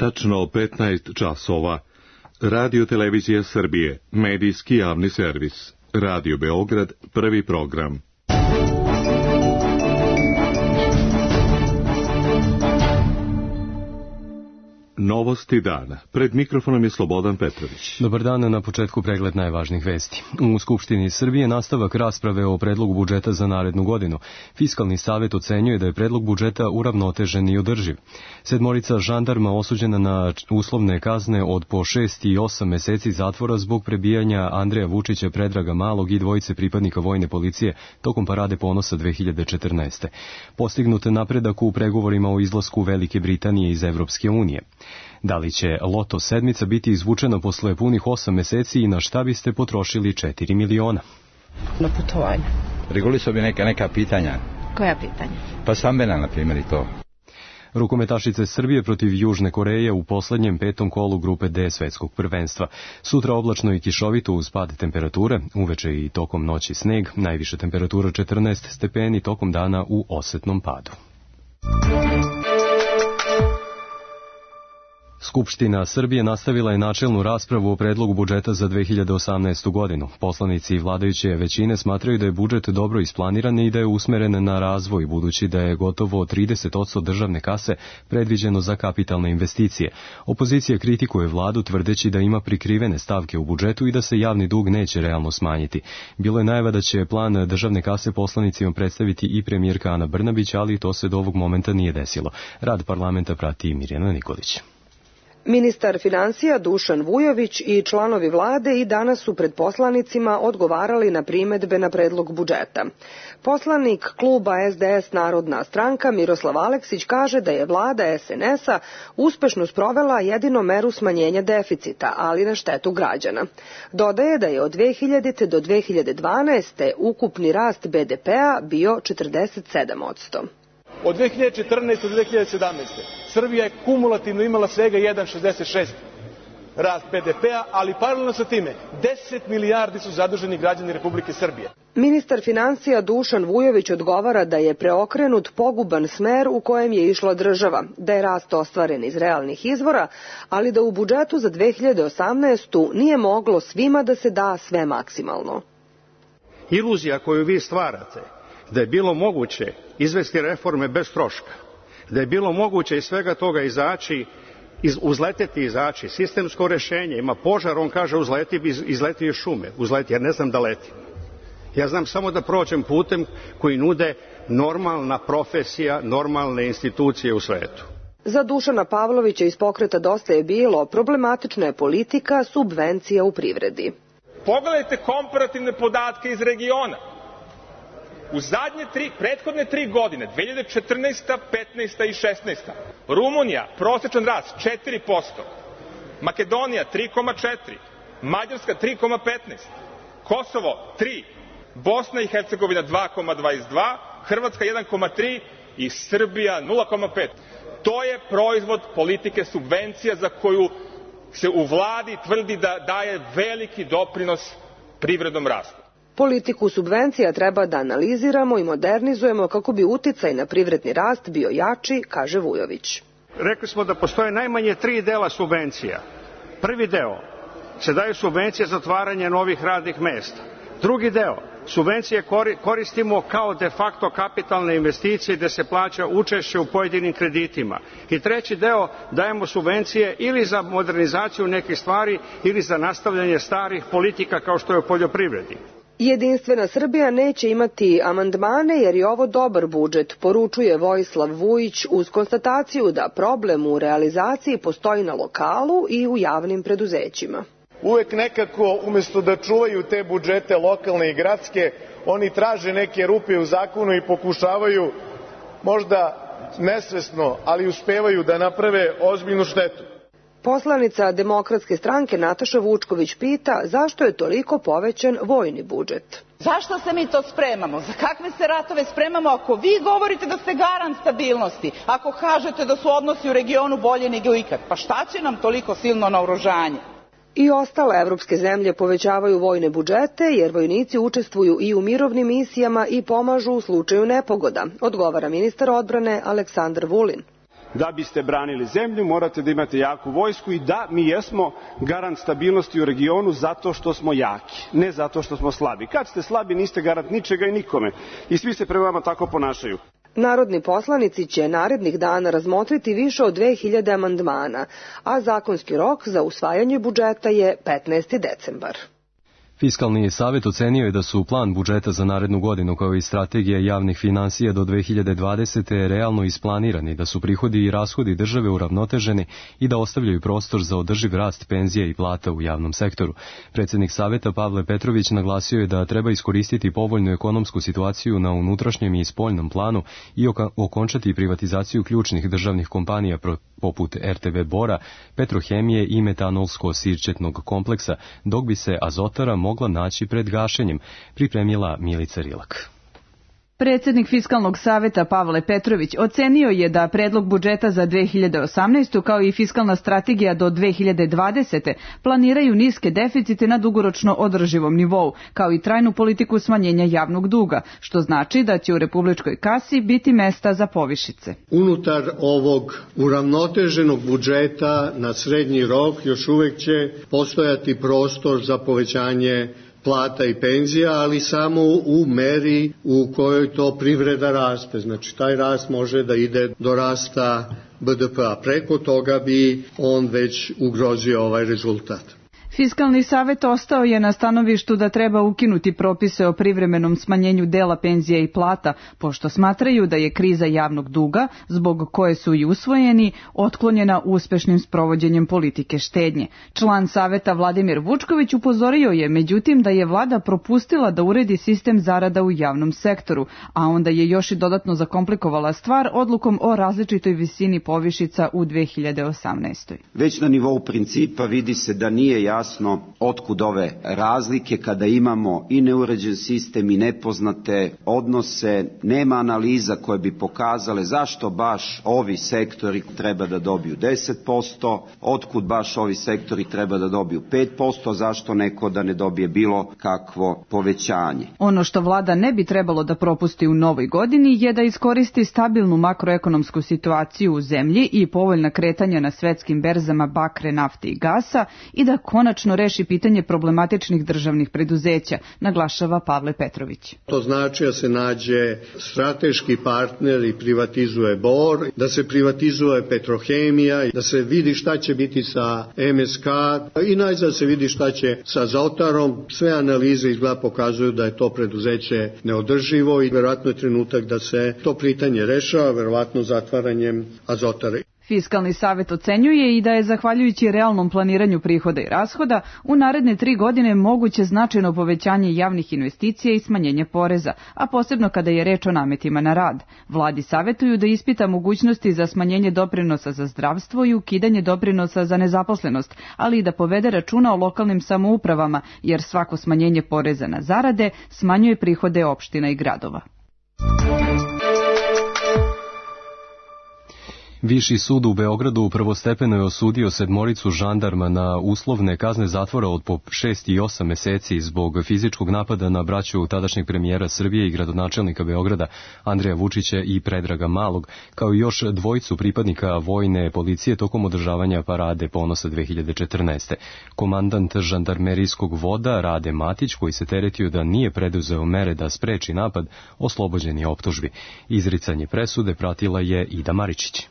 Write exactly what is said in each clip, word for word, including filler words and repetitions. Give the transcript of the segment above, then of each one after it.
Tačno petnaest časova. Radio Televizija Srbije, medijski javni servis. Radio Beograd, prvi program. Novosti dana. Pred mikrofonom je Slobodan Petrović. Dobar dan, na početku pregled najvažnijih vesti. U Skupštini Srbije nastavak rasprave o predlogu budžeta za narednu godinu. Fiskalni savet ocenjuje da je predlog budžeta uravnotežen i održiv. Sedmorica žandarma osuđena na uslovne kazne od po šest i osam meseci zatvora zbog prebijanja Andreja Vučića, Predraga Malog i dvojice pripadnika vojne policije tokom Parade ponosa dve hiljade četrnaeste. Postignut napredak u pregovorima o izlasku Velike Britanije iz Evropske unije. Da li će loto sedmica biti izvučena posle punih osam meseci i na šta biste potrošili četiri miliona? Na putovanje. Regulisao bi neka, neka pitanja. Koja pitanja? Pa stambena, na primjer, i to. Rukometašice Srbije protiv Južne Koreje u poslednjem petom kolu grupe D svetskog prvenstva. Sutra oblačno i kišovito uz pad temperature, uveče i tokom noći sneg, najviša temperatura četrnaest stepeni, tokom dana u osetnom padu. Skupština Srbije nastavila je načelnu raspravu o predlogu budžeta za dve hiljade osamnaestu godinu. Poslanici vladajuće većine smatraju da je budžet dobro isplaniran i da je usmeren na razvoj, budući da je gotovo trideset posto državne kase predviđeno za kapitalne investicije. Opozicija kritikuje vladu tvrdeći da ima prikrivene stavke u budžetu i da se javni dug neće realno smanjiti. Bilo je najava da će plan državne kase poslanicima predstaviti i premijerka Ana Brnabić, ali to se do ovog momenta nije desilo. Rad parlamenta prati Mirjana Nikolić. Ministar finansija Dušan Vujović i članovi vlade i danas su pred poslanicima odgovarali na primedbe na predlog budžeta. Poslanik kluba S D S Narodna stranka Miroslav Aleksić kaže da je vlada S N S-a uspešno sprovela jedino meru smanjenja deficita, ali na štetu građana. Dodaje da je od dve hiljadite do dve hiljade dvanaeste. ukupni rast B D P-a bio četrdeset sedam posto. Od dve hiljade četrnaeste do dve hiljade sedamnaeste. Srbija je kumulativno imala svega jedan zarez šezdeset šest rast B D P-a, ali paralelno sa time deset milijardi su zaduženi građani Republike Srbije. Ministar finansija Dušan Vujović odgovara da je preokrenut poguban smer u kojem je išla država, da je rast ostvaren iz realnih izvora, ali da u budžetu za dve hiljade osamnaestu. nije moglo svima da se da sve maksimalno. Iluzija koju vi stvarate da je bilo moguće izvesti reforme bez troška, da je bilo moguće iz svega toga izaći, iz, uzleteti izaći, sistemsko rešenje, ima požar, on kaže uzleti, iz, izleti iz šume, uzleti, jer ne znam da letim. Ja znam samo da prođem putem koji nude normalna profesija, normalne institucije u svetu. Za Dušana Pavlovića iz pokreta Dosta je bilo, problematična je politika subvencija u privredi. Pogledajte komparativne podatke iz regiona. U zadnje tri, prethodne tri godine, dve hiljade četrnaesta, petnaesta i šesnaesta. Rumunija, prosečan rast četiri posto, Makedonija tri zarez četiri, Mađarska tri zarez petnaest, Kosovo tri, Bosna i Hercegovina dva zarez dvadeset dva, Hrvatska jedan zarez tri i Srbija nula zarez pet. To je proizvod politike subvencija za koju se u vladi tvrdi da daje veliki doprinos privrednom rastu. Politiku subvencija treba da analiziramo i modernizujemo kako bi uticaj na privredni rast bio jači, kaže Vujović. Rekli smo da postoje najmanje tri dela subvencija. Prvi deo se daju subvencije za otvaranje novih radnih mesta. Drugi deo, subvencije koristimo kao de facto kapitalne investicije gde se plaća učešće u pojedinim kreditima. I treći deo, dajemo subvencije ili za modernizaciju nekih stvari ili za nastavljanje starih politika kao što je u poljoprivredi. Jedinstvena Srbija neće imati amandmane jer je ovo dobar budžet, poručuje Vojislav Vujić uz konstataciju da problem u realizaciji postoji na lokalu i u javnim preduzećima. Uvek nekako, umesto da čuvaju te budžete lokalne i gradske, oni traže neke rupe u zakonu i pokušavaju, možda nesvesno, ali uspevaju da naprave ozbiljnu štetu. Poslanica Demokratske stranke Nataša Vučković pita zašto je toliko povećan vojni budžet. Zašto se mi to spremamo? Za kakve se ratove spremamo ako vi govorite da ste garant stabilnosti? Ako kažete da su odnosi u regionu bolje nego ikad? Pa šta će nam toliko silno naoružanje? I ostale evropske zemlje povećavaju vojne budžete jer vojnici učestvuju i u mirovnim misijama i pomažu u slučaju nepogoda, odgovara ministar odbrane Aleksandar Vulin. Da biste branili zemlju, morate da imate jaku vojsku i da, mi jesmo garant stabilnosti u regionu zato što smo jaki, ne zato što smo slabi. Kad ste slabi, niste garant ničega i nikome. I svi se prema vama tako ponašaju. Narodni poslanici će narednih dana razmotriti više od dve hiljade amandmana, a zakonski rok za usvajanje budžeta je petnaesti decembar. Fiskalni savjet ocenio je da su plan budžeta za narednu godinu kao i strategija javnih finansija do dve hiljade dvadesete. realno isplanirani, da su prihodi i rashodi države uravnoteženi i da ostavljaju prostor za održiv rast penzija i plata u javnom sektoru. Predsjednik savjeta Pavle Petrović naglasio je da treba iskoristiti povoljnu ekonomsku situaciju na unutrašnjem i spoljnom planu i okončati privatizaciju ključnih državnih kompanija poput er te ve Bora, Petrohemije i metanolsko-sirćetnog kompleksa, dok bi se Azotara mogla naći pred gašenjem, pripremila Milica Rilak. Predsjednik Fiskalnog savjeta Pavle Petrović ocenio je da predlog budžeta za dve hiljade osamnaestu kao i fiskalna strategija do dve hiljade dvadesete. planiraju niske deficite na dugoročno održivom nivou, kao i trajnu politiku smanjenja javnog duga, što znači da će u republičkoj kasi biti mesta za povišice. Unutar ovog uravnoteženog budžeta na srednji rok još uvek će postojati prostor za povećanje plata i penzija, ali samo u meri u kojoj to privreda raste. Znači, taj rast može da ide do rasta be de pe a. Preko toga bi on već ugrozio ovaj rezultat. Fiskalni savjet ostao je na stanovištu da treba ukinuti propise o privremenom smanjenju dela penzija i plata, pošto smatraju da je kriza javnog duga, zbog koje su i usvojeni, otklonjena uspešnim sprovođenjem politike štednje. Član savjeta Vladimir Vučković upozorio je, međutim, da je vlada propustila da uredi sistem zarada u javnom sektoru, a onda je još i dodatno zakomplikovala stvar odlukom o različitoj visini povišica u dve hiljade osamnaestoj. Već na nivou principa vidi se da nije jasno jasno otkud ove razlike kada imamo i neuređen sistem i nepoznate odnose, nema analiza koje bi pokazale zašto baš ovi sektori treba da dobiju deset posto, otkud baš ovi sektori treba da dobiju pet posto, zašto neko da ne dobije bilo kakvo povećanje. Ono što vlada ne bi trebalo da propusti u novoj godini je da iskoristi stabilnu makroekonomsku situaciju u zemlji i povoljna kretanja na svetskim berzama bakre, nafte i gasa i da konačno reši pitanje problematičnih državnih preduzeća, naglašava Pavle Petrović. To znači da se nađe strateški partner i privatizuje Bor, da se privatizuje Petrohemija, da se vidi šta će biti sa em es ka i najzad se vidi šta će sa Azotarom. Sve analize izgleda pokazuju da je to preduzeće neodrživo i verovatno je trenutak da se to pitanje rešava, verovatno zatvaranjem Azotara. Fiskalni savjet ocenjuje i da je zahvaljujući realnom planiranju prihoda i rashoda u naredne tri godine moguće značajno povećanje javnih investicija i smanjenje poreza, a posebno kada je reč o nametima na rad. Vladi savjetuju da ispita mogućnosti za smanjenje doprinosa za zdravstvo i ukidanje doprinosa za nezaposlenost, ali i da povede računa o lokalnim samoupravama, jer svako smanjenje poreza na zarade smanjuje prihode opština i gradova. Viši sud u Beogradu prvostepeno je osudio sedmoricu žandarma na uslovne kazne zatvora od po šest i osam meseci zbog fizičkog napada na braću tadašnjeg premijera Srbije i gradonačelnika Beograda Andreja Vučića i Predraga Malog, kao i još dvojicu pripadnika vojne policije tokom održavanja parade Ponosa dve hiljade četrnaeste. Komandant žandarmerijskog voda Rade Matić, koji se teretio da nije preduzeo mere da spreči napad, oslobođen je optužbi. Izricanje presude pratila je Ida Maričić.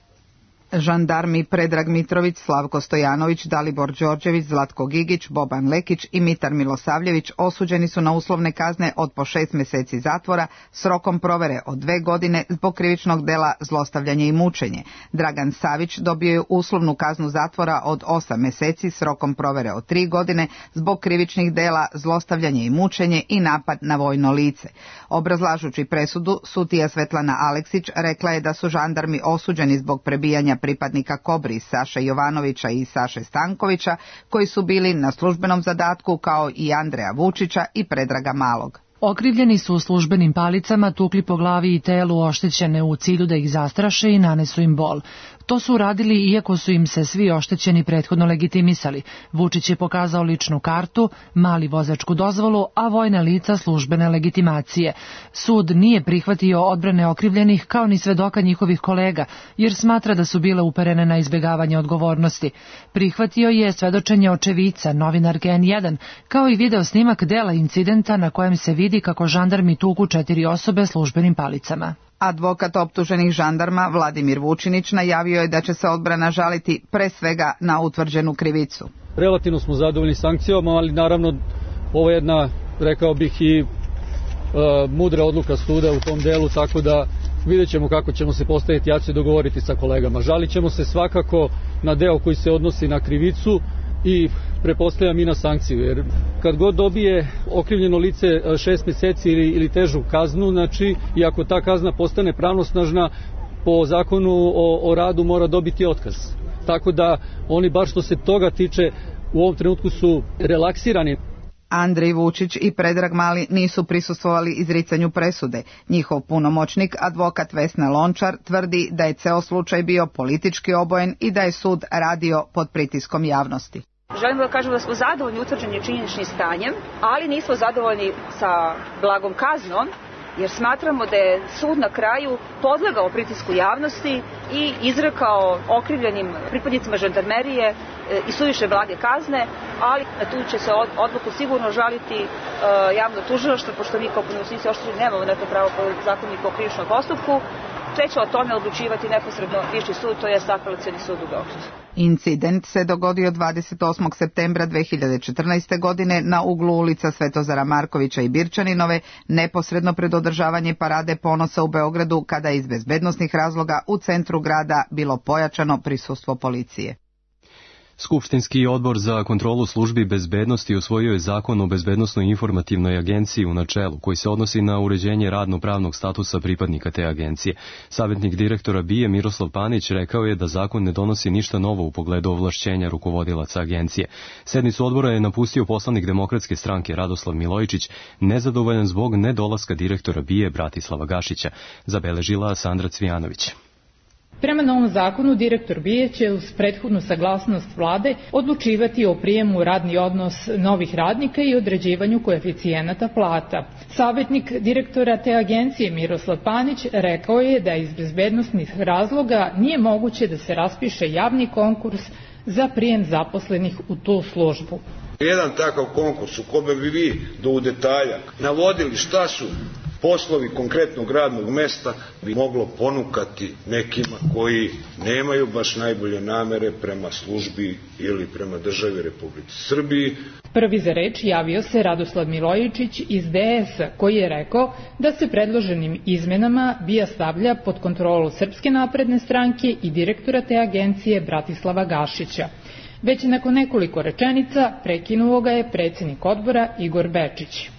Žandarmi Predrag Mitrović, Slavko Stojanović, Dalibor Đorđević, Zlatko Gigić, Boban Lekić i Mitar Milosavljević osuđeni su na uslovne kazne od po šest meseci zatvora s rokom provere od dve godine zbog krivičnog dela zlostavljanje i mučenje. Dragan Savić dobio je uslovnu kaznu zatvora od osam meseci s rokom provere od tri godine zbog krivičnih dela zlostavljanje i mučenje i napad na vojno lice. Obrazlažući presudu, sudija Svetlana Aleksić rekla je da su žandarmi osuđeni zbog prebijanja pripadnika Kobri Saše Jovanovića i Saše Stankovića, koji su bili na službenom zadatku, kao i Andreja Vučića i Predraga Malog. Okrivljeni su u službenim palicama tukli po glavi i telu oštećene u cilju da ih zastraše i nanesu im bol. To su uradili iako su im se svi oštećeni prethodno legitimisali. Vučić je pokazao ličnu kartu, Mali vozačku dozvolu, a vojna lica službene legitimacije. Sud nije prihvatio odbrane okrivljenih kao ni svedoka njihovih kolega, jer smatra da su bile uperene na izbjegavanje odgovornosti. Prihvatio je svedočenje očevica, novinarke en jedan, kao i video snimak dela incidenta na kojem se vidi kako žandarmi tuku četiri osobe službenim palicama. Advokat optuženih žandarma Vladimir Vučinić najavio je da će se odbrana žaliti pre svega na utvrđenu krivicu. Relativno smo zadovoljni sankcijama, ali naravno ovo je jedna, rekao bih, i e, mudra odluka suda u tom delu, tako da vidjet ćemo kako ćemo se postaviti, ja ću se dogovoriti sa kolegama. Žalit ćemo se svakako na deo koji se odnosi na krivicu i prepostavljam i na sankciju, jer kad god dobije okrivljeno lice šest mjeseci ili, ili težu kaznu, znači, i ako ta kazna postane pravnosnažna, po zakonu o, o radu mora dobiti otkaz. Tako da oni, baš što se toga tiče, u ovom trenutku su relaksirani. Andrej Vučić i Predrag Mali nisu prisustvovali izricanju presude. Njihov punomoćnik, advokat Vesna Lončar, tvrdi da je ceo slučaj bio politički obojen i da je sud radio pod pritiskom javnosti. Želimo da kažemo da smo zadovoljni utvrđenim činjeničnim stanjem, ali nismo zadovoljni sa blagom kaznom, jer smatramo da je sud na kraju podlegao pritisku javnosti i izrekao okrivljenim pripadnicima žandarmerije i suviše blage kazne, ali na tu će se odluku sigurno žaliti uh, javno tužilaštvo, pošto mi kao punomoćnici oštećeni nemamo neko pravo po zakoniku o krivičnom postupku, te će o tome odlučivati neposredno viši sud, to je Apelacioni sud u Beogradu. Incident se dogodio dvadeset osmog septembra dve hiljade četrnaeste. godine na uglu ulica Svetozara Markovića i Birčaninove, neposredno pred održavanje Parade ponosa u Beogradu, kada je iz bezbednosnih razloga u centru grada bilo pojačano prisustvo policije. Skupštinski odbor za kontrolu službi bezbednosti usvojio je zakon o bezbednosnoj informativnoj agenciji u načelu, koji se odnosi na uređenje radno-pravnog statusa pripadnika te agencije. Savjetnik direktora B I A Miroslav Panić rekao je da zakon ne donosi ništa novo u pogledu ovlašćenja rukovodilaca agencije. Sednicu odbora je napustio poslanik Demokratske stranke Radoslav Milojičić, nezadovoljan zbog nedolaska direktora B I A Bratislava Gašića, zabeležila Sandra Cvijanović. Prema novom zakonu, direktor B I A će uz prethodnu saglasnost vlade odlučivati o prijemu u radni odnos novih radnika i određivanju koeficijenata plata. Savjetnik direktora te agencije Miroslav Panić rekao je da iz bezbednosnih razloga nije moguće da se raspiše javni konkurs za prijem zaposlenih u tu službu. Jedan takav konkurs u kome bi vi do u detalja navodili šta su poslovi konkretnog radnog mesta bi moglo ponukati nekima koji nemaju baš najbolje namere prema službi ili prema državi Republike Srbiji. Prvi za reč javio se Radoslav Milojičić iz D S, koji je rekao da se predloženim izmenama B I A stavlja pod kontrolu Srpske napredne stranke i direktora te agencije Bratislava Gašića. Već nakon nekoliko rečenica prekinuo ga je predsjednik odbora Igor Bečić.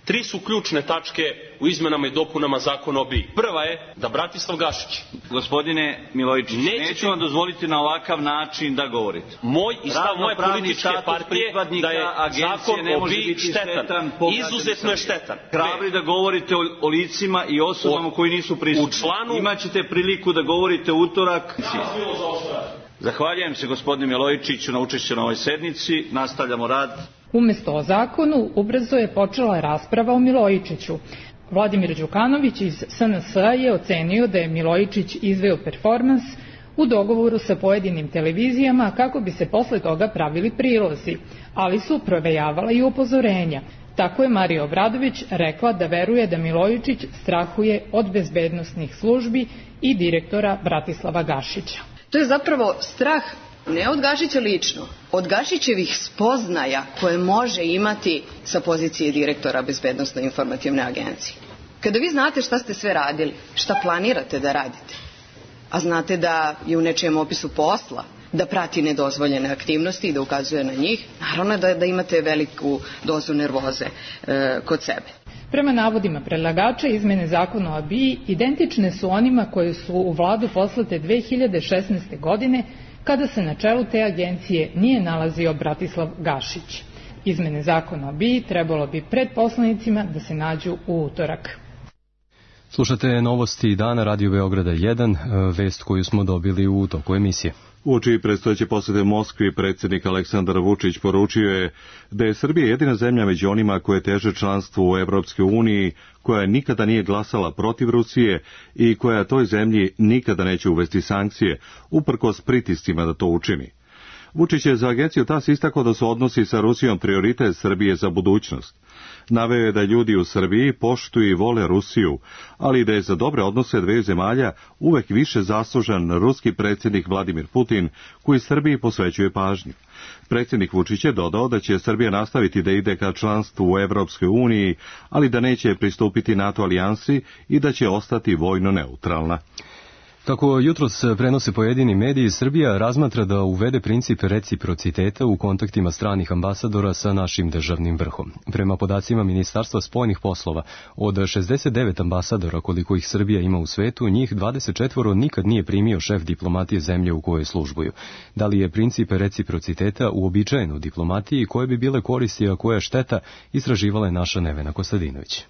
Tri su ključne tačke u izmenama i dopunama zakona o B I A. Prva je da Bratislav Gašić. Gospodine Milojičić, neću vam dozvoliti na ovakav način da govorite. Moj i stav moje političke partije da je zakon o B I A štetan. Izuzetno je štetan. Hrabri da govorite o, o licima i osobama koji nisu prisutni. U članu... Imaćete priliku da govorite utorak. Zahvaljujem se gospodine Milojičiću na učešću na ovoj sednici. Nastavljamo rad. Umesto o zakonu, ubrzo je počela rasprava o Milojičiću. Vladimir Đukanović iz S N S-a je ocenio da je Milojičić izveo performans u dogovoru sa pojedinim televizijama kako bi se posle toga pravili prilozi, ali su provejavala i upozorenja. Tako je Marija Obradović rekla da veruje da Milojičić strahuje od bezbednosnih službi i direktora Bratislava Gašića. To je zapravo strah ne od Gašića lično, od Gašićevih spoznaja koje može imati sa pozicije direktora Bezbednosno informativne agencije. Kada vi znate šta ste sve radili, šta planirate da radite, a znate da je u nečijem opisu posla da prati nedozvoljene aktivnosti i da ukazuje na njih, naravno da, da imate veliku dozu nervoze e, kod sebe. Prema navodima predlagača, izmene zakona o B I A identične su onima koje su u vladu poslate dve hiljade šesnaeste. godine, kada se na čelu te agencije nije nalazio Bratislav Gašić. Izmene zakona o B I A trebalo bi pred poslanicima da se nađu u utorak. Slušate novosti dana Radio Beograda jedan, vest koju smo dobili u toku emisije. Uoči predstojeće posete Moskvi, predsjednik Aleksandar Vučić poručio je da je Srbija jedina zemlja među onima koje teže članstvu u Evropskoj uniji, koja nikada nije glasala protiv Rusije i koja toj zemlji nikada neće uvesti sankcije, uprkos pritiscima da to učini. Vučić je za agenciju TAS istakao da su odnosi sa Rusijom prioritet Srbije za budućnost. Naveo je da ljudi u Srbiji poštuju i vole Rusiju, ali da je za dobre odnose dveju zemalja uvek više zaslužan ruski predsjednik Vladimir Putin, koji Srbiji posvećuje pažnju. Predsjednik Vučić je dodao da će Srbija nastaviti da ide ka članstvu u Evropskoj uniji, ali da neće pristupiti NATO alijansi i da će ostati vojno neutralna. Kako jutros prenose pojedini mediji, Srbija razmatra da uvede princip reciprociteta u kontaktima stranih ambasadora sa našim državnim vrhom. Prema podacima Ministarstva spoljnih poslova, od šezdeset devet ambasadora koliko ih Srbija ima u svetu, njih dvadeset četiri nikad nije primio šef diplomatije zemlje u kojoj službuju. Da li je princip reciprociteta uobičajen u diplomatiji, koje bi bile koristi, a koja šteta, istraživala je naša Nevena Kostadinović.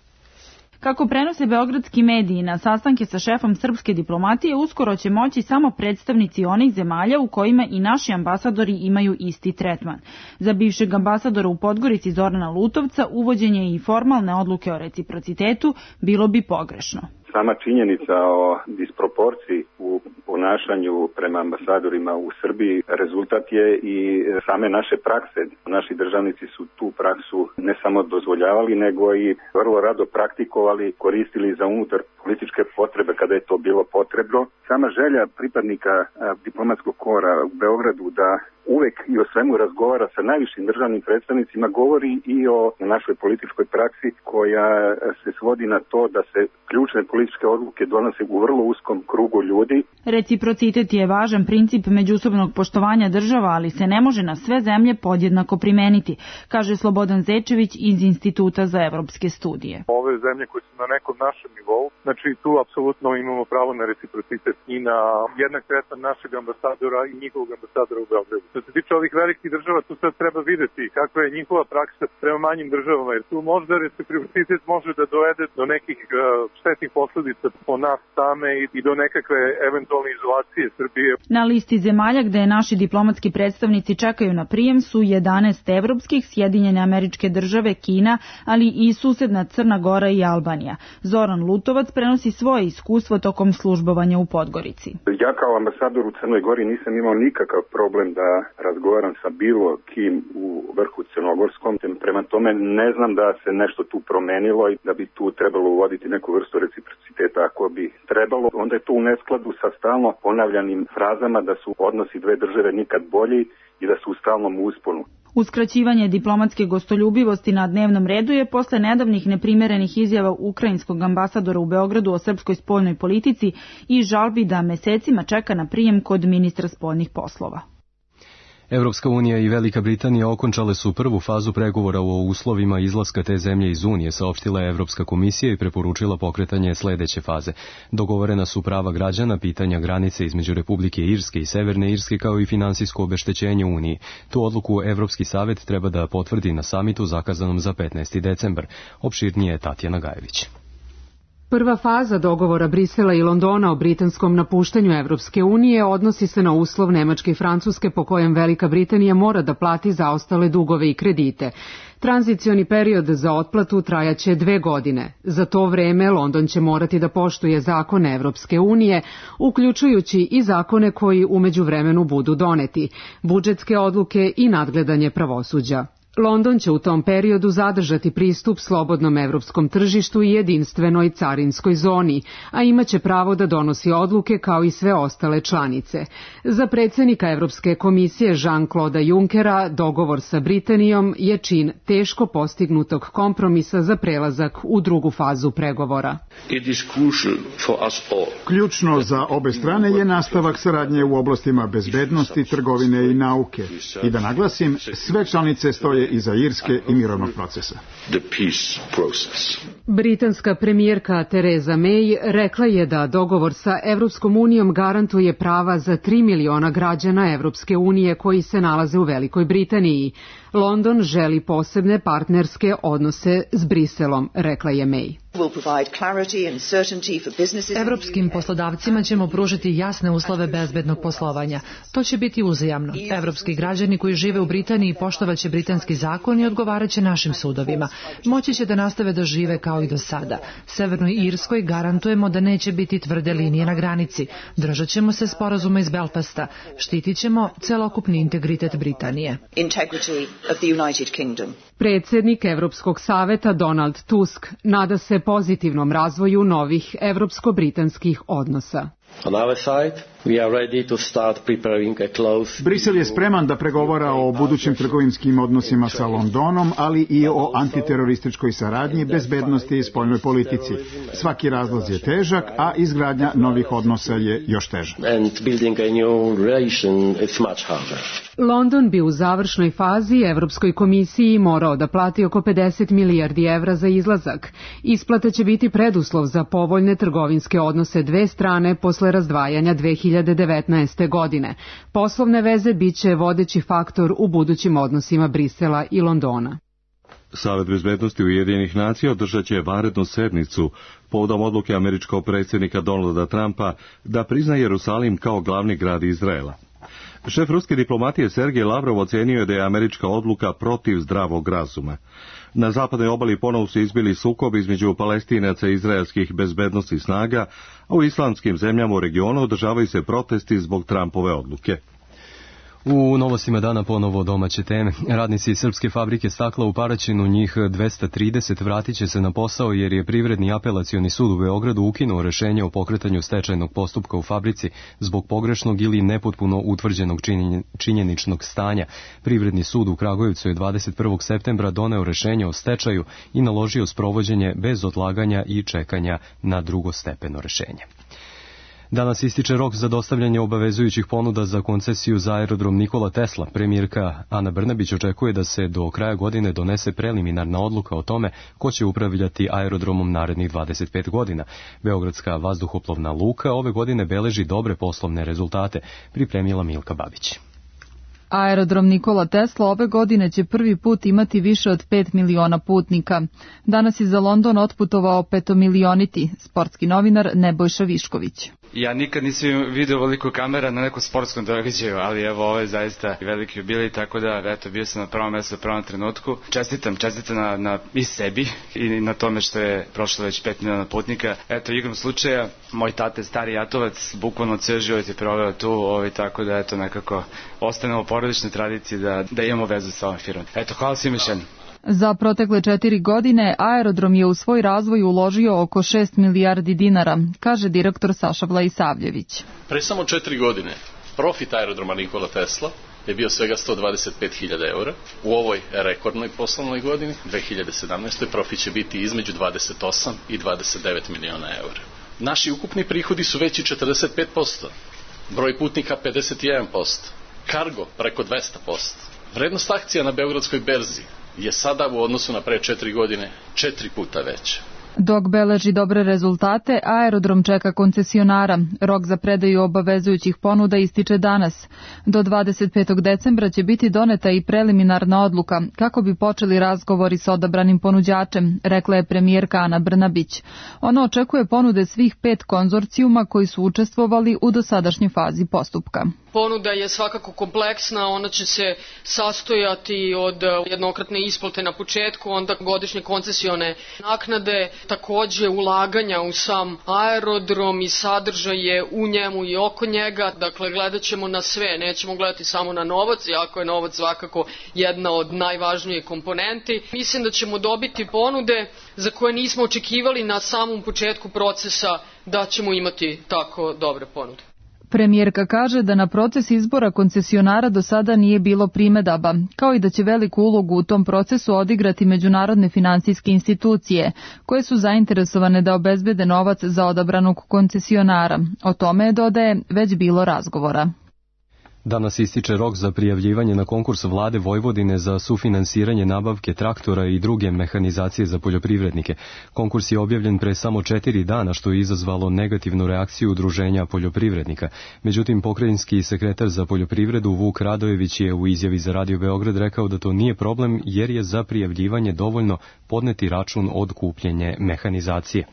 Kako prenose beogradski mediji, na sastanke sa šefom srpske diplomatije uskoro će moći samo predstavnici onih zemalja u kojima i naši ambasadori imaju isti tretman. Za bivšeg ambasadora u Podgorici Zorana Lutovca uvođenje i formalne odluke o reciprocitetu bilo bi pogrešno. Sama činjenica o disproporciji u ponašanju prema ambasadorima u Srbiji rezultat je i same naše prakse. Naši državnici su tu praksu ne samo dozvoljavali, nego i vrlo rado praktikovali, koristili za unutar političke potrebe kada je to bilo potrebno. Sama želja pripadnika diplomatskog kora u Beogradu da uvek i o svemu razgovara sa najvišim državnim predstavnicima govori i o našoj političkoj praksi koja se svodi na to da se ključne političke odluke donose u vrlo uskom krugu ljudi. Reciprocitet je važan princip međusobnog poštovanja država, ali se ne može na sve zemlje podjednako primeniti, kaže Slobodan Zečević iz Instituta za evropske studije. Ove zemlje koje su na nekom našem nivou, znači tu apsolutno imamo pravo na reciprocitet i na jednak tretman našeg ambasadora i njihovog ambasadora u Beogradu. Što se tiče ovih velikih država, tu sad treba videti kakva je njihova praksa prema manjim državama, jer tu možda reciprocitet može da dovede do nekih uh, štetnih posledica po nas same i, i do nekakve eventualne izolacije Srbije. Na listi zemalja gde naši diplomatski predstavnici čekaju na prijem su jedanaest evropskih, Sjedinjene Američke Države, Kina, ali i susedna Crna Gora i Albanija. Zoran Lutovac prenosi svoje iskustvo tokom službovanja u Podgorici. Ja kao ambasador u Crnoj Gori nisam imao nikakav problem da razgovaram sa bilo kim u vrhu crnogorskom. Prema tome ne znam da se nešto tu promenilo i da bi tu trebalo uvoditi neku vrstu reciprociteta. Ako bi trebalo, onda je to u neskladu sa stalno ponavljanim frazama da su odnosi dve države nikad bolji i da su u stalnom usponu. Uskraćivanje diplomatske gostoljubivosti na dnevnom redu je posle nedavnih neprimerenih izjava ukrajinskog ambasadora u Beogradu o srpskoj spoljnoj politici i žalbi da mesecima čeka na prijem kod ministra spoljnih poslova. Evropska unija i Velika Britanija okončale su prvu fazu pregovora o uslovima izlaska te zemlje iz Unije, saopštila je Evropska komisija i preporučila pokretanje sledeće faze. Dogovorena su prava građana, pitanja granice između Republike Irske i Severne Irske, kao i finansijsko obeštećenje Uniji. Tu odluku Evropski savet treba da potvrdi na samitu zakazanom za petnaesti decembar. Opširnije je Tatjana Gajević. Prva faza dogovora Brisela i Londona o britanskom napuštanju Evropske unije odnosi se na uslov Nemačke i Francuske po kojem Velika Britanija mora da plati zaostale dugove i kredite. Tranzicioni period za otplatu trajaće dve godine. Za to vreme London će morati da poštuje zakone Evropske unije, uključujući i zakone koji u međuvremenu budu doneti, budžetske odluke i nadgledanje pravosuđa. London će u tom periodu zadržati pristup slobodnom evropskom tržištu i jedinstvenoj carinskoj zoni, a imaće pravo da donosi odluke kao i sve ostale članice. Za predsjednika Evropske komisije Jean-Claude Junckera dogovor sa Britanijom je čin teško postignutog kompromisa za prelazak u drugu fazu pregovora. Ključno za obe strane je nastavak saradnje u oblastima bezbednosti, trgovine i nauke. I da naglasim, sve članice stoje iza Irske i mirovnog procesa. Britanska premijerka Theresa May rekla je da dogovor sa Evropskom unijom garantuje prava za tri miliona građana Evropske unije koji se nalaze u Velikoj Britaniji. London želi posebne partnerske odnose s Briselom, rekla je May. Evropskim poslodavcima ćemo pružiti jasne uslove bezbednog poslovanja. To će biti uzajamno. Evropski građani koji žive u Britaniji poštovaće britanski zakon i odgovaraće našim sudovima. Moći će da nastave da žive kao i do sada. Severnoj Irskoj garantujemo da neće biti tvrde linije na granici. Držat ćemo se sporazuma iz Belfasta. Štitit ćemo celokupni integritet Britanije. Predsjednik Evropskog saveta Donald Tusk nada se pozitivnom razvoju novih evropsko-britanskih odnosa. On our side, we are ready to start preparing a close... Brisel je spreman da pregovara o budućim trgovinskim odnosima sa Londonom, ali i o antiterorističkoj saradnji, bezbednosti i spoljnoj politici. Svaki razlaz je težak, a izgradnja novih odnosa je još teža. And building a new relation is much harder. London bi u završnoj fazi Evropskoj komisiji morao da plati oko pedeset milijardi evra za izlazak. Isplata će biti preduslov za povoljne trgovinske odnose dve strane posle razdvajanja dve hiljade devetnaeste. godine. Poslovne veze biće vodeći faktor u budućim odnosima Brisela i Londona. Savet bezbednosti Ujedinjenih nacija održat će vanrednu sednicu povodom odluke američkog predsjednika Donalda Trumpa da prizna Jerusalim kao glavni grad Izraela. Šef ruske diplomatije Sergej Lavrov ocenio je da je američka odluka protiv zdravog razuma. Na zapadnoj obali ponovo su izbili sukob između Palestinaca i izraelskih bezbednosnih snaga, a u islamskim zemljama u regionu održavaju se protesti zbog Trumpove odluke. U novostima dana ponovo domaće teme. Radnici srpske fabrike stakla u Paraćinu, njih dvesta trideset, vratit će se na posao jer je Privredni apelacioni sud u Beogradu ukinuo rešenje o pokretanju stečajnog postupka u fabrici zbog pogrešnog ili nepotpuno utvrđenog činjeničnog stanja. Privredni sud u Kragujevcu je dvadeset prvog septembra doneo rešenje o stečaju i naložio sprovođenje bez odlaganja i čekanja na drugostepeno rešenje. Danas ističe rok za dostavljanje obavezujućih ponuda za koncesiju za aerodrom Nikola Tesla. Premijerka Ana Brnabić očekuje da se do kraja godine donese preliminarna odluka o tome ko će upravljati aerodromom narednih dvadeset pet godina. Beogradska vazduhoplovna luka ove godine beleži dobre poslovne rezultate, pripremila Milka Babić. Aerodrom Nikola Tesla ove godine će prvi put imati više od pet miliona putnika. Danas je za London otputovao petomilioniti, sportski novinar Nebojša Višković. Ja nikad nisam vidio veliko kamera na nekom sportskom događaju, ali evo ovo je zaista veliki jubilej, tako da eto, bio sam na pravom mjestu u pravom trenutku. Čestitam, čestitam na, na i sebi i na tome što je prošlo već pet miliona putnika. Eto, igrom slučaja, moj tate, stari Jatovac, bukvalno ceo život je proveo tu, ovaj, tako da eto nekako ostanemo u porodičnoj tradiciji da, da imamo vezu sa ovom firmom. Eto, hvala svima još jednom. Za protekle četiri godine aerodrom je u svoj razvoj uložio oko šest milijardi dinara, kaže direktor Saša Vlaisavljević. Pre samo četiri godine profit aerodroma Nikola Tesla je bio svega sto dvadeset pet hiljada eura. U ovoj rekordnoj poslovnoj godini, dve hiljade sedamnaeste. profit će biti između dvadeset osam i dvadeset devet miliona eura. Naši ukupni prihodi su veći četrdeset pet posto, broj putnika pedeset jedan posto, kargo preko dvesta posto. Vrednost akcija na Beogradskoj berzi je sada u odnosu na pre četiri godine četiri puta veća. Dok beleži dobre rezultate, aerodrom čeka koncesionara. Rok za predaju obavezujućih ponuda ističe danas. Do dvadeset petog decembra će biti doneta i preliminarna odluka kako bi počeli razgovori sa odabranim ponuđačem, rekla je premijerka Ana Brnabić. Ona očekuje ponude svih pet konzorcijuma koji su učestvovali u dosadašnjoj fazi postupka. Ponuda je svakako kompleksna, ona će se sastojati od jednokratne isplate na početku, onda godišnje koncesione naknade, takođe ulaganja u sam aerodrom i sadržaje u njemu i oko njega. Dakle, gledat ćemo na sve, nećemo gledati samo na novac, iako je novac svakako jedna od najvažnijih komponenti. Mislim da ćemo dobiti ponude za koje nismo očekivali na samom početku procesa da ćemo imati tako dobre ponude. Premijerka kaže da na proces izbora koncesionara do sada nije bilo primedaba, kao i da će veliku ulogu u tom procesu odigrati međunarodne finansijske institucije, koje su zainteresovane da obezbede novac za odabranog koncesionara. O tome, dodaje, već bilo razgovora. Danas ističe rok za prijavljivanje na konkurs vlade Vojvodine za sufinansiranje nabavke traktora i druge mehanizacije za poljoprivrednike. Konkurs je objavljen pre samo četiri dana, što je izazvalo negativnu reakciju udruženja poljoprivrednika. Međutim, pokrajinski sekretar za poljoprivredu Vuk Radojević je u izjavi za Radio Beograd rekao da to nije problem jer je za prijavljivanje dovoljno podneti račun od kupljenje mehanizacije.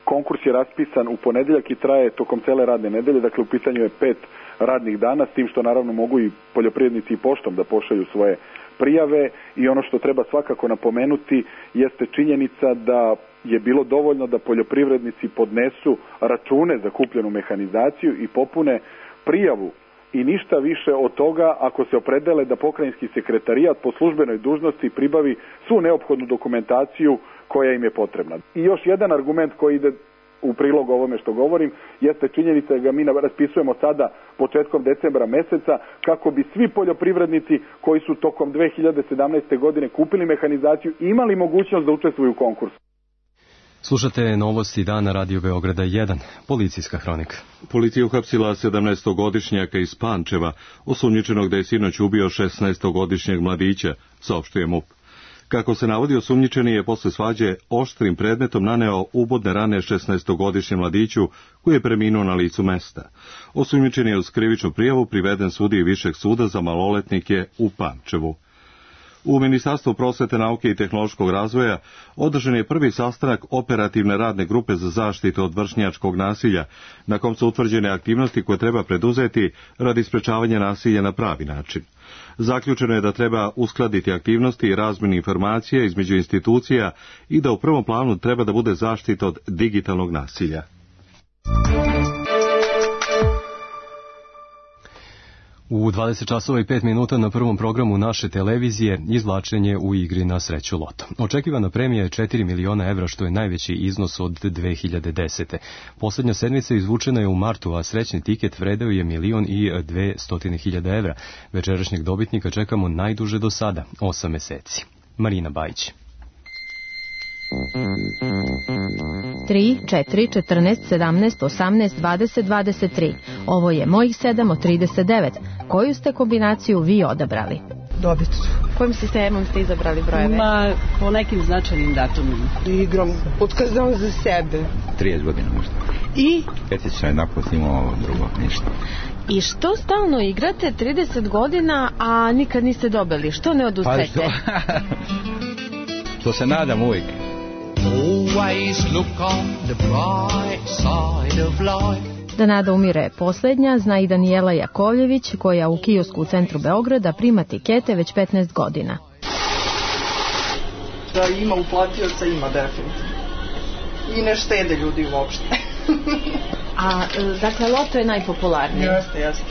Konkurs je raspisan u ponedeljak i traje tokom cele radne nedelje, dakle u pitanju je pet radnih dana, s tim što naravno mogu i poljoprivrednici i poštom da pošalju svoje prijave i ono što treba svakako napomenuti jeste činjenica da je bilo dovoljno da poljoprivrednici podnesu račune za kupljenu mehanizaciju i popune prijavu i ništa više od toga ako se opredele da pokrajinski sekretarijat po službenoj dužnosti pribavi svu neophodnu dokumentaciju koja im je potrebna. I još jedan argument koji ide u prilog ovome što govorim jeste činjenica da ga mi raspisujemo sada početkom decembra meseca kako bi svi poljoprivrednici koji su tokom dve hiljade sedamnaeste. godine kupili mehanizaciju imali mogućnost da učestvuju u konkursu. Slušate novosti dana Radio Beograda jedan, policijska hronika. Policija uhapsila sedamnaestogodišnjaka iz Pančeva, osumnjičenog da je sinoć ubio šesnaestogodišnjeg mladića, saopštuje MUP. Kako se navodi, osumnjičeni je posle svađe oštrim predmetom naneo ubodne rane šesnaestogodišnjem mladiću koji je preminuo na licu mesta. Osumnjičeni je uz krivičnu prijavu priveden sudiji Višeg suda za maloletnike u Pančevu. U Ministarstvu prosvete, nauke i tehnološkog razvoja održan je prvi sastanak operativne radne grupe za zaštitu od vršnjačkog nasilja, na kom su utvrđene aktivnosti koje treba preduzeti radi sprečavanja nasilja na pravi način. Zaključeno je da treba uskladiti aktivnosti i razmjenu informacija između institucija i da u prvom planu treba da bude zaštita od digitalnog nasilja. U dvadeset časova i pet minuta na prvom programu naše televizije izvlačenje u igri na sreću loto. Očekivana premija je četiri miliona evra, što je najveći iznos od dve hiljade desete. Poslednja sedmica izvučena je u martu, a srećni tiket vredeo je milion i dvestotine hiljada evra. Večerašnjeg dobitnika čekamo najduže do sada, osam meseci. Marina Bajić. tri, četiri, četrnaest, sedamnaest, osamnaest, dvadeset, dvadeset tri. Ovo je mojih sedam od trideset devet. Koju ste kombinaciju vi odabrali? Dobicu. Kojim sistemom ste izabrali brojeve? Ma, po nekim značajnim datumima. Igram, otkazam za sebe. trideset godina možda. I? Petično jedan put imao, drugo, ništa. I što stalno igrate trideset godina, a nikad niste dobili? Što ne odustajete? Pa što? Što se nadam uvijek. Always look on the bright side of life. Da nada umire posljednja, zna i Danijela Jakovljević, koja u kiosku u centru Beograda prima tikete već petnaest godina. Da ima uplatioca, ima definitivno. I ne štede ljudi uopšte. A, dakle, loto je najpopularniji? Jeste, jeste.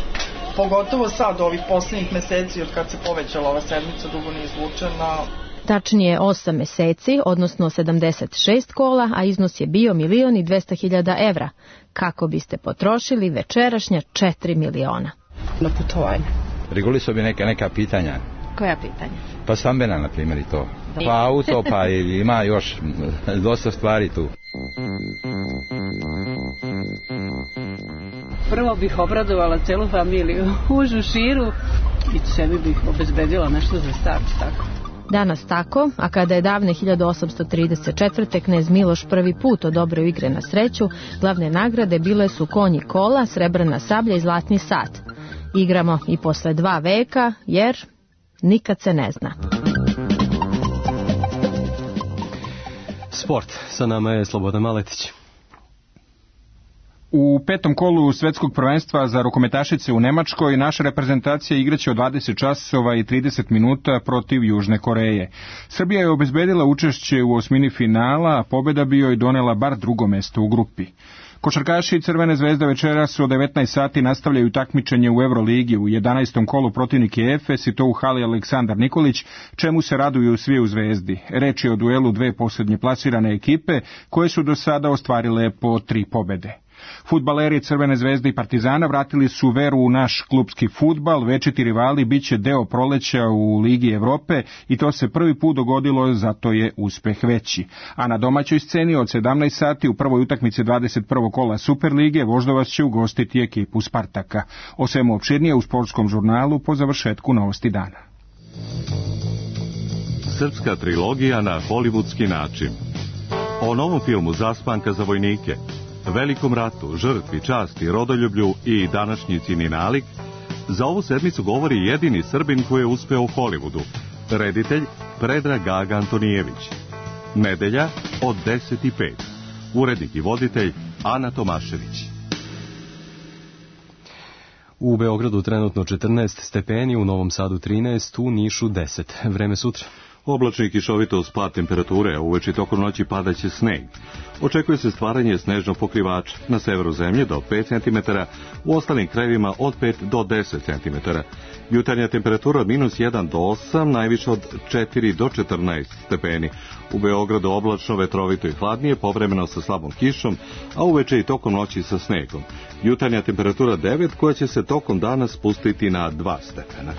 Pogotovo sad, ovih posljednjih meseci, od kad se povećala ova sedmica, dugo nije izvučena. Tačnije osam meseci, odnosno sedamdeset šest kola, a iznos je bio milion i dvesta hiljada evra. Kako biste potrošili večerašnja četiri miliona? Na putovanje. Regulisao bi neka, neka pitanja. Koja pitanja? Pa stambena, na primjer, i to. Pa auto, pa ima još dosta stvari tu. Prvo bih obradovala celu familiju, užu, širu i sebi bih obezbedila nešto za start, tako. Danas tako, a kada je davne hiljadu osamsto trideset četvrte. knez Miloš prvi put odobrio igre na sreću, glavne nagrade bile su konji kola, srebrna sablja i zlatni sat. Igramo i posle dva veka, jer nikad se ne zna. Sport, sa nama je Slobodan Maletić. U petom kolu svetskog prvenstva za rukometašice u Nemačkoj naša reprezentacija igraće od dvadeset časova i trideset minuta protiv Južne Koreje. Srbija je obezbedila učešće u osmini finala, a pobeda bi joj donela bar drugo mesto u grupi. Košarkaši Crvene zvezde večeras u devetnaest sati nastavljaju takmičenje u Euroligi. U jedanaestom kolu protivnik je Efes i to u hali Aleksandar Nikolić, čemu se raduju svi u Zvezdi. Reč je o duelu dve poslednje plasirane ekipe koje su do sada ostvarile po tri pobede. Fudbaleri Crvene zvezde i Partizana vratili su veru u naš klubski fudbal, večiti rivali biće deo proleća u Ligi Evrope i to se prvi put dogodilo, zato je uspeh veći. A na domaćoj sceni od sedamnaest sati u prvoj utakmici dvadeset prvog kola Superlige Voždovac će ugostiti ekipu Spartaka. O svemu opširnije u sportskom žurnalu po završetku novosti dana. Srpska trilogija na hollywoodski način. O novom filmu Zaspanka za vojnike, velikom ratu, žrtvi, časti, rodoljublju i današnjici nalik, za ovu sedmicu govori jedini Srbin koji je uspeo u Hollywoodu, reditelj Predrag Gaga Antonijević. Nedelja od deset i pet. Urednik i voditelj Ana Tomašević. U Beogradu trenutno četrnaest stepeni, u Novom Sadu trinaest, u Nišu deset. Vreme sutra. Oblačno i kišovito uz pad temperature, a uveče tokom noći padaće sneg. Očekuje se stvaranje snežnog pokrivača na severu zemlje do pet centimetara, u ostalim krajevima od pet do deset centimetara. Jutarnja temperatura od minus jedan do osam, najviše od četiri do četrnaest stepeni. U Beogradu oblačno, vetrovito i hladnije, povremeno sa slabom kišom, a uveče i tokom noći sa snegom. Jutarnja temperatura devet, koja će se tokom dana spustiti na dva stepena.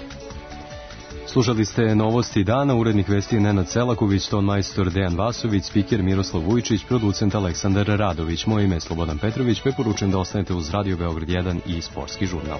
Slušali ste novosti dana, urednik vesti Nenad Selaković, ton majstor Dejan Vasović, spiker Miroslav Vujčić, producent Aleksandar Radović. Moje ime je Slobodan Petrović, preporučujem da ostanete uz Radio Beograd jedan i Sportski žurnal.